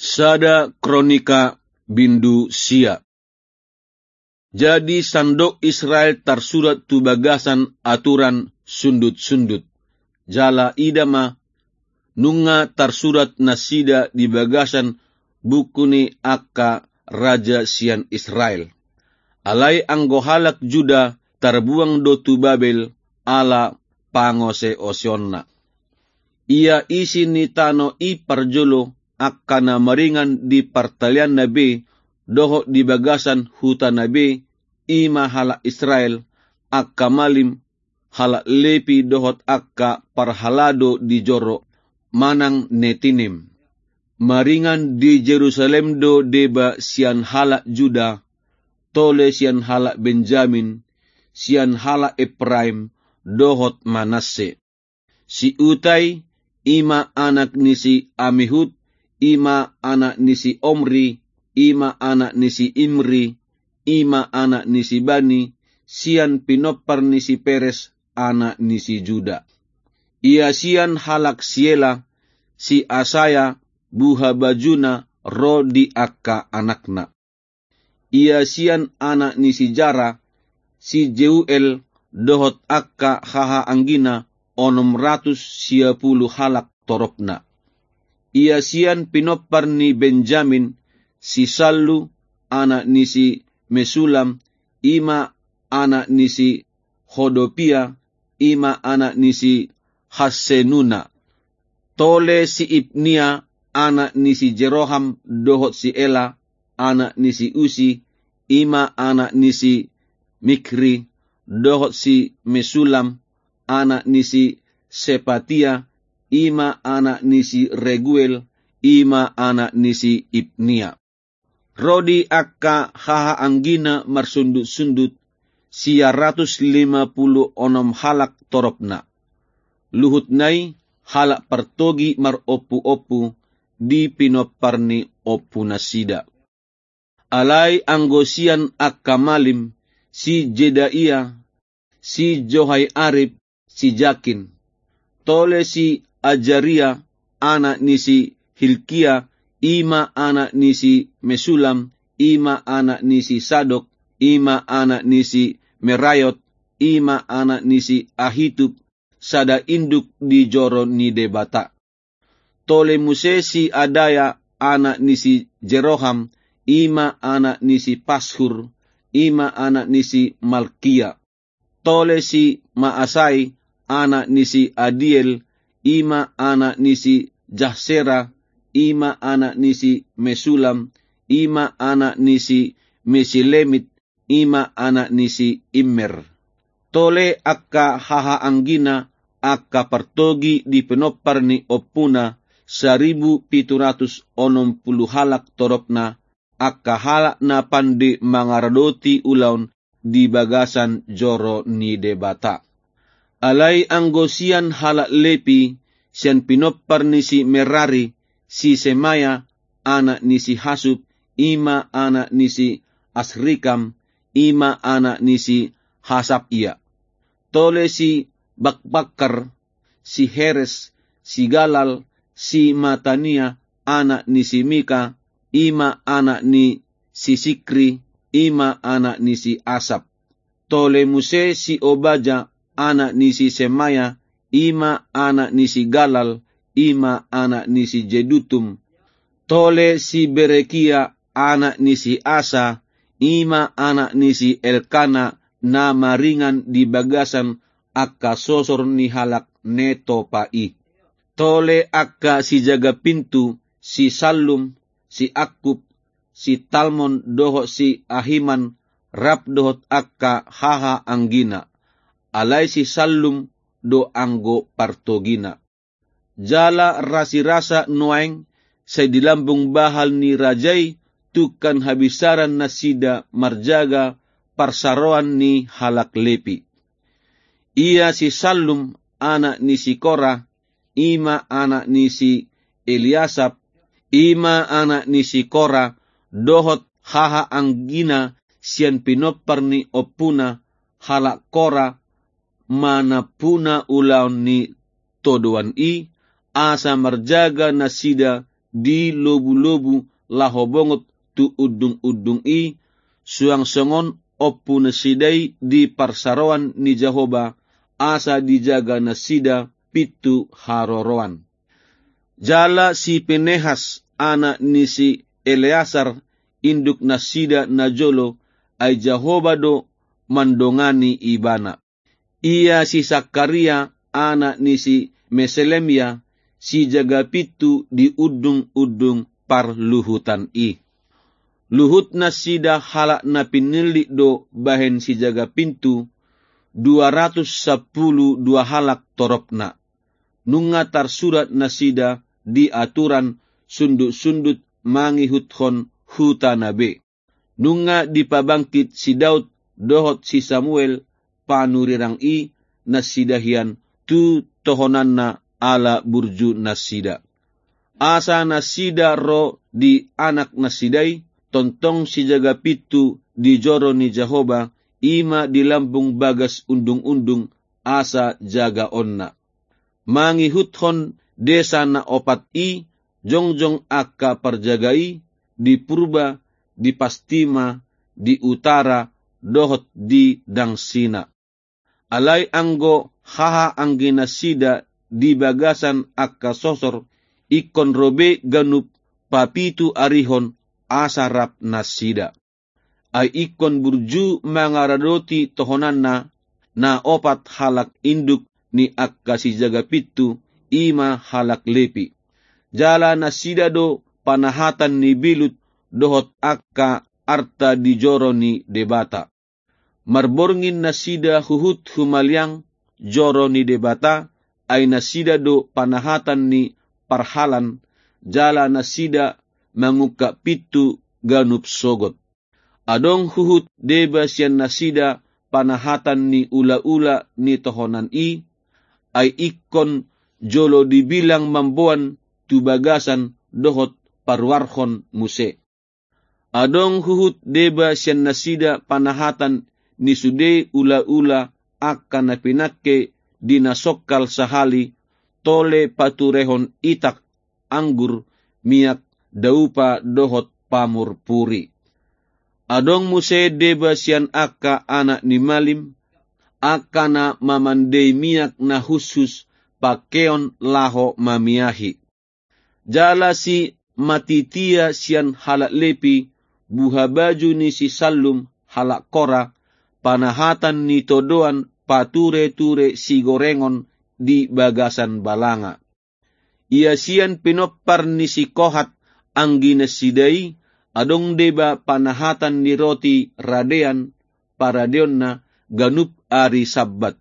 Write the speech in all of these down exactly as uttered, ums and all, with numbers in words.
Sada Kronika bindu sia. Jadi sandok Israel tarsurat tu bagasan aturan sundut-sundut. Jala ida ma, nunga tarsurat nasida di bagasan buku ni angka raja sian Israel. Alai anggo halak Juda tarbuang do tu Babel ala pangoseoseonna. Ia isi ni tano i parjolo angka na maringan di partalianna be dohot di bagasan hutana be, i ma halak Israel, angka malim, halak Lepi dohot angka parhalado di joro manang Netinim. Maringan di Jerusalem do deba sian halak Juda, tole sian halak Benjamin, sian halak Epraim dohot Manasse. Si Utai, i ma anak ni si Amihud, i ma anak ni si Omri, i ma anak ni si Imri, i ma anak ni si Bani, sian pinompar ni si Peres, anak ni si Juda. Ia sian halak Siela, si Asaya, buhabajuna ro di angka anakna. Ia sian anak ni si Jara, si Jeuel dohot angka hahaanggina onom ratus sia pulu halak toropna. Ia sian pinompar ni Benjamin, si Sallu, anak ni si Mesulam, i ma anak ni si Hodopia, i ma anak ni si Hassenuna. Tole si Ibnia, anak ni si Jeroham, dohot si Ela, anak ni si Usi, i ma anak ni si Mikri, dohot si Mesulam, anak ni si Sepatia, i ma anak ni si Reguel, i ma anak ni si Ibnia. Ro di angka hahaanggina marsundut-sundut, sia ratus lima pulu onom halak toropna. Luhutna i halak partogi marompu-ompu di pinompar ni ompunasida. Alai anggo sian angka malim, si Jedaia, si Joiarib, si Jakin. Tole si Ajaria, anak ni si Hilkia, i ma anak ni si Mesulam, i ma anak ni si Sadok, i ma anak ni si Meraiot, i ma anak ni si Ahitub, sada induk di joro ni Debata. Tole muse si Adaya, anak ni si Jeroham, i ma anak ni si Pashur, i ma anak ni si Malkia. Tole si Maasai, anak ni si Adiel, i ma anak ni si Jahsera, i ma anak ni si Mesulam, i ma anak ni si Mesilemit, i ma anak ni si Immer. Tole angka hahaanggina, angka partogi di pinompar ni ompuna, saribu pitu ratus onom pulu halak toropna, angka halak na pande mangaradoti ulaon di bagasan joro ni Debata. Alai anggo sian halak Lepi, sian pinompar ni si Merari, si Semaya, anak ni si Hasub, i ma anak ni si Asrikam, i ma anak ni si Hasabia. Tole si Bakbakar, si Heres, si Galal, si Matania, anak ni si Mika, i ma anak ni si Sikri, i ma anak ni si Asap. Tole muse si Obaja, anak ni si Semaya, i ma anak ni si Galal, i ma anak ni si Jedutum. Tole si Berekia, anak ni si Asa, i ma anak ni si Elkana, na maringan di bagasan angka sosor ni halak Netopa i. Tole angka sijaga pintu, si Sallum, si Akub, si Talmon dohot si Ahiman, rap dohot angka hahaanggina. Alai si Sallum do anggo partogina. Jala rasirasa nuaeng sai di lambung bahal ni raja i tungkan habinsaran nasida marjaga parsaroan ni halak Lepi. Ia si Sallum, anak ni si Kora, i ma anak ni si Eliasap, i ma anak ni si Kora, dohot hahaanggina sian pinompar ni ompuna, halak Kora, manampuna ulaon ni todoan i, asa marjaga nasida di lobu-lobu laho bongot tu undung-undung i, suang songon ompunasida i di parsaroan ni Jahowa, asa dijaga nasida pintu haroroan. Jala si Pinehas, anak ni si Eleasar, induknasida najolo, ai Jahowa do mandongani ibana. Ia si Sakaria, anak ni si Meselemia, sijaga pintu di undung-undung parluhutan i. Luhutnasida halak na pinillit do bahen sijaga pintu, dua ratus sampulu dua halak toropna. Nunga tarsurat nasida di aturan sundut-sundut mangihuthon hutana be. Nunga dipabangkit si Daud dohot si Samuel panurirang i nasida hian tu tohonanna ala burjunasida. Asa nasida ro di anaknasida i, tongtong sijaga pintu di joro ni Jahowa, i ma di lambung bagas undung-undung, asa jagaonna. Mangihuthon desa na opat i, jongjong angka parjaga i, di purba, di pastima, di utara, dohot di dangsina. Alai anggo hahaangginasida di bagasan angka sosor, ingkon ro be ganup papitu arihon asa rap nasida. Ai ingkon burju mangaradoti tohonanna na opat halak induk ni angka sijaga pintu, i ma halak Lepi. Jala nasida do panahatan ni bilut dohot angka arta di joro ni Debata. Marborngin nasida huhut humaliang joro ni Debata, ai nasida do panahatan ni parhalan, jala nasida mangungkap pintu ganup sogot. Adong huhut deba sian nasida panahatan ni ulaula ni tohonan i, ai ingkon jolo dibilang mamboan tu bagasan dohot paruarhon muse. Adong huhut deba sian nasida panahatan ni sude ulaula angka na pinangke di na songkal sahali, tole paturehon itak, anggur, miak, daupa dohot pamurpuri. Adong muse deba sian angka anak ni malim, angka na mamandei miak na hushus pangkeon laho mamiahi. Jala si Matitia sian halak Lepi, buhabaju ni si Sallum halak Kora, panahatan ni todoan patureture sigorengon di bagasan balanga. Ia sian pinompar ni si Kohat angginasida i, adong deba panahatan ni roti radean, paradeonna ganup ari Sabbat.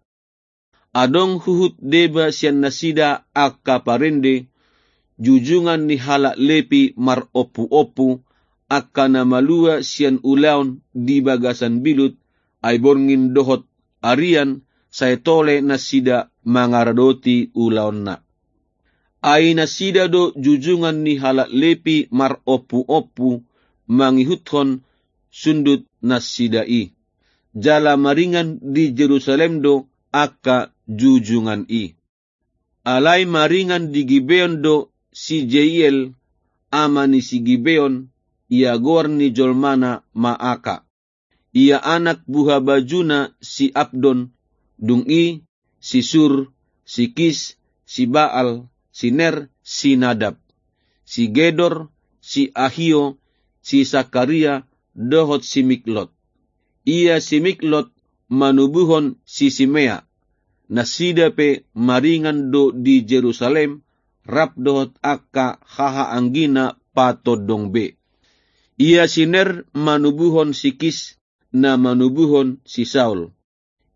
Adong huhut deba sian nasida angka parende, jujungan ni halak Lepi marompuompu, angka na malua sian ulaon di bagasan bilut, ai borngin dohot arian, sai tole nasida mangaradoti ulaonna. Ai nasida do jujungan ni halak Lepi marompuompu mangihuthon sundutnasida i. Jala maringan di Jerusalem do angka jujungan i. Alai maringan di Gibeon do si Jeiel, ama ni si Gibeon, ia goar ni jolmana Maaka. Ia anak buhabajuna si Abdon, dung i si Sur, si Kis, si Baal, si Ner, si Nadab, si Gedor, si Ahio, si Sakaria, dohot si Miklot. Ia si Miklot manubuhon si Simea. Nasida pe maringan do di Jerusalem, rap dohot angka hahaanggina patondong be. Ia si Ner manubuhon si Kis, na manubuhon si Saul.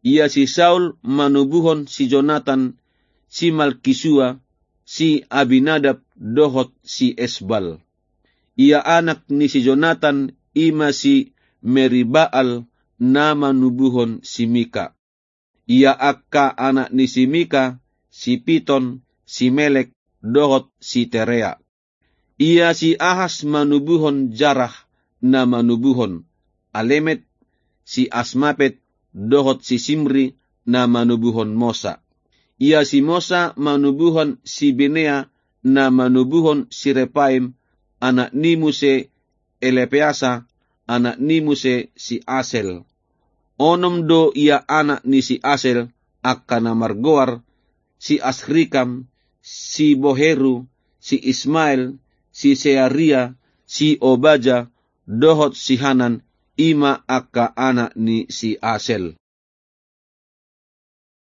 Ia si Saul manubuhon si Jonatan, si Malkisua, si Abinadab dohot si Esbal. Ia anak ni si Jonatan i ma si Meribaal, na manubuhon si Mika. Ia angka anak ni si Mika, si Piton, si Melek, dohot si Terea. Ia si Ahas manubuhon Jarah, na manubuhon Alemet, si Asmapet, dohot si Simri, na manubuhon Mosa. Ia si Mosa manubuhon si Binea, na manubuhon si Repaim, anak ni muse Elepeasa, anak ni muse si Asel. Onom do ia anak ni si Asel, angka na margoar, si Asrikam, si Boheru, si Ismael, si Searia, si Obaja, dohot si Hanan, i ma angka anak ni si Asel.